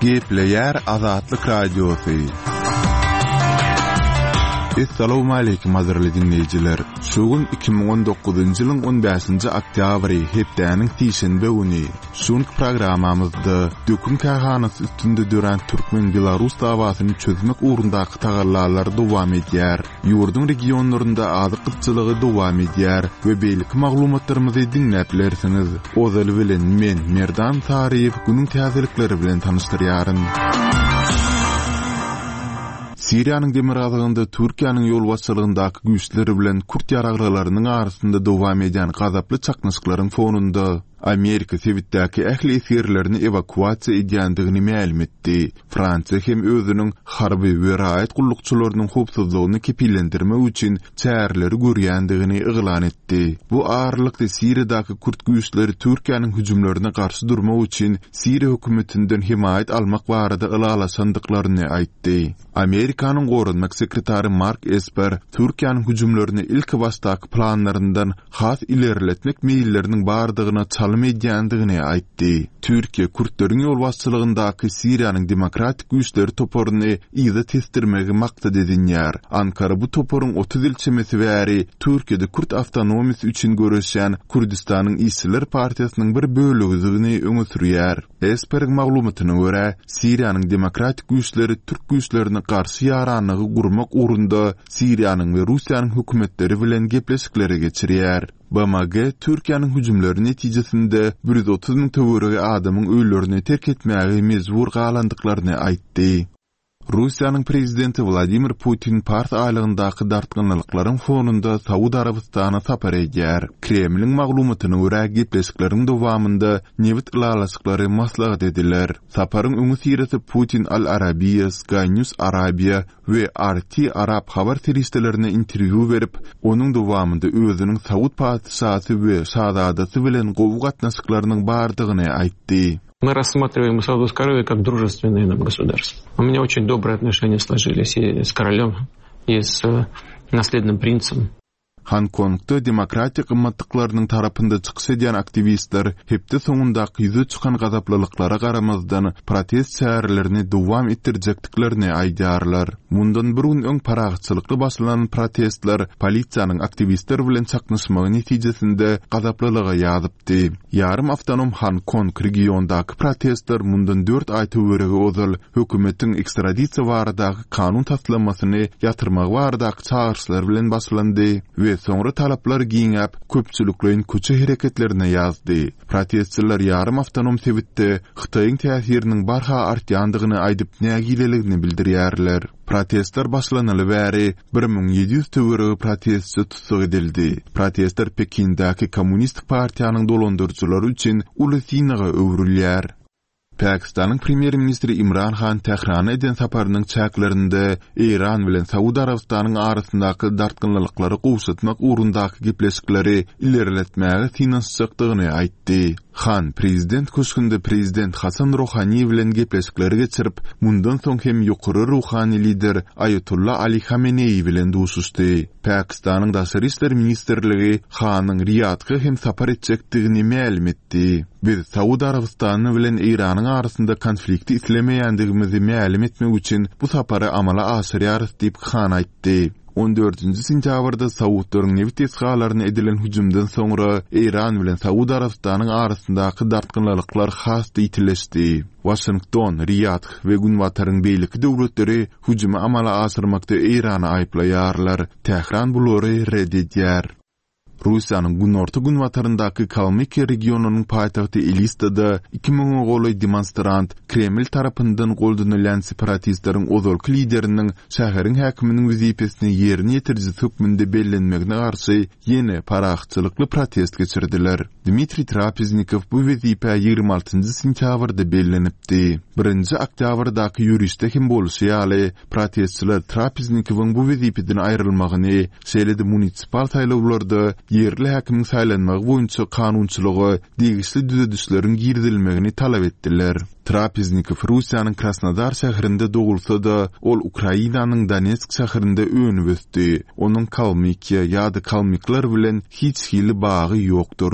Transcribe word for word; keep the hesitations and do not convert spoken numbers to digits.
Gepleýär Azatlyk Radiosy. Essalawmaleýkim gadyrly diňleýjiler. Şu gün iki müň on dokuzynjy ýylyň on bäşinji oktýabry, hepdäniň sişenbe güni. Şu günki programmamyzda dökün kärhanasy üstünde dörän türkmen-belarus dawasyny çözmek ugrundaky tagallalar dowam edýär. Ýurduň regionlarynda azyk gytçylygy dowam edýär we beýleki maglumatlarymyzy diňläp bilersiňiz. Ozaly bilen men, Merdan Saryýew, günüň täzelikleri bilen tanyşdyrýaryn. Siriýanyň demirgazygynda Türkiýäniň ýolbaşçylygyndaky güýçler bilen kürt ýaraglylarynyň arasynda dowam edýän gazaply çaknyşyklaryň fonunda Amerika sebitdäki ähli esgerlerini ewakuasiýa edýändigini mälim etdi. Fransiýa hem özüniň harby we raýat gullukçylarynyň howpsuzlygyny kepillendirmek üçin çäreleri görýändigini yglan etdi. Bu aralykda Siriýadaky kürt güýçleri Türkiýäniň hüjümlerine garşy durmak üçin Siriýa hökümetinden hemaýat almak barada ylalaşandyklaryny aýtdy. Amerikanyň goranmak sekretary Mark Esper Türkiýäniň hüjümlerini ilki başdaky planlaryndan has ilerletmek meýilleriniň bardygyna çalym edýändigini aýtdy. Türkiýe kürtleriň ýolbaşçylygyndaky Siriýanyň demokratik güýçleri toparyny yza tesdirmegi maksat edinýär. Ankara bu toparyň otuz ýyl çemesi bäri Türkiýede kürt awtonomiýasy üçin göreşýän Kürdistanyň işçiler partiýasynyň bir bölegidigini öňe sürýär. Esperiň maglumatyna görä, Siriýanyň demokratik güýçleri türk güýçlerine garşy ýaranlygy gurmak ugrunda Siriýanyň we Russiýanyň hökümetleri bilen gepleşikleri geçirýär. B M G Türkiýäniň hüjümleri netijesinde bir ýüz otuz müň töweregi adamyň öýlerini terk etmäge mejbur galandyklaryny aýtdy. Russiýanyň prezidenti Wladimir Putin Pars aýlygyndaky dartgynlyklaryň fonunda Saud Arabystana sapar edýär. Kremliň maglumatyna görä, gepleşikleriň dowamynda nebit ylalaşyklary maslahat ediler. Saparyň öňüsyrasy Putin Al Arabiya, Sky News Arabia we R T Arap habar serişdelerine interwýu berip, onuň dowamynda özüniň Saud patyşasy we şazadasy bilen gowy gatnaşyklarynyň bardygyny aýtdy. Мы рассматриваем Саудовскую Аравию как дружественное нам государство. У меня очень добрые отношения сложились и с королем, и с наследным принцем. Hong Kongda demokratik gymmatlyklarynyň tarapynda çykyş edýän aktiwistler hepde soňundaky ýüze çykan gazaplylyklara garamazdan protest çärelerini dowam etdirjekdiklerini aýdýarlar. Mundan bir gün öň parahatçylykly başlanan protestler polisiýanyň aktiwistler bilen çaknyşmagy netijesinde gazaplylyga ýazypdy. Ýarym awtonom Hong Kong regiondaky protestler mundan dört aý töweregi ozal hökümetiň ekstradisiýa baradaky kanun taslamasyny ýatyrmagy baradaky çagyryşlar bilen başlandy we soňra talaplar giňäp köpçülikleýin köçe hereketlerine ýazdy. Protestçiler ýarym awtonom sebitde Hytaýyň täsiriniň barha artýandygyny aýdyp nägileligini bildirýärler. Protestler başlanaly bäri bir müň ýedi ýüz töweregi protestçi tussag edildi. Protestler Pekindäki Kommunistik partiýanyň dolandyryjylary üçin uly synaga öwrülýär. Pakistanyň premýer-ministri Imran Han Tährana eden saparynyň çäklerinde Eýran bilen Saud Arabystanyň arasyndaky dartgynlyklary gowşatmak ugrundaky gepleşikleri ilerletmäge synanyşjakdygyny aýtdy. Han prezident köşgünde prezident Hasan Rohani bilen gepleşikleri geçirip, mundan soň hem ýokary ruhani lider Ayatollah Ali Hamenei bilen duşuşdy. Pakistanyň Daşary işler ministrligi Hanyň Riyadha hem sapar etjekdigini mälim etdi. Biz Saud Arabystany bilen Eýranyň arasynda konflikti islemeýändigimizi mälim etmek üçin bu sapary amala aşyrýarys diýip Han aýtdy. On dördünji sentýabrda Saudlaryň nebit desgalaryna edilen hüjümden soňra Eýran bilen Saud Arabystanyň arasyndaky dartgynlyklar has ýitileşdi. Washington, Riyadh we Günbataryň beýleki döwletleri hüjümi amala aşyrmakda Eýrany aýyplaýarlar. Tähran bulary red edýär. Russiýanyň günorta günbataryndaky Kalmykiýa regionynyň paýtagty Elistada iki müňe golaý demonstrant Kreml tarapyndan goldanylýan separatistleriň ozalky lideriniň şäheriň häkiminiň wezipesini ýerine ýetiriji hökmünde bellenmegine garşy ýene parahatçylykly protest geçirdiler. Dmitriý Trapeznikow bu wezipä ýigrimi altynjy sentýabrda bellenipdi. Birinji oktýabrdaky ýörişde hem bolşy ýaly, protestçiler Trapeznikowyň bu wezipeden aýrylmagyny, şeýle-de munisipal saýlawlarda ýerli häkimiň saýlanmagy boýunça kanunçylyga degişli düzedişleriň girizilmegini talap etdiler. Trapeznikow Russiýanyň Krasnodar şäherinde dogulsa-da, ol Ukrainanyň Donetsk şäherinde önüp ösdi. Onuň Kalmykiýa ýa-da Kalmyklar bilen hiç hili bagy ýokdur.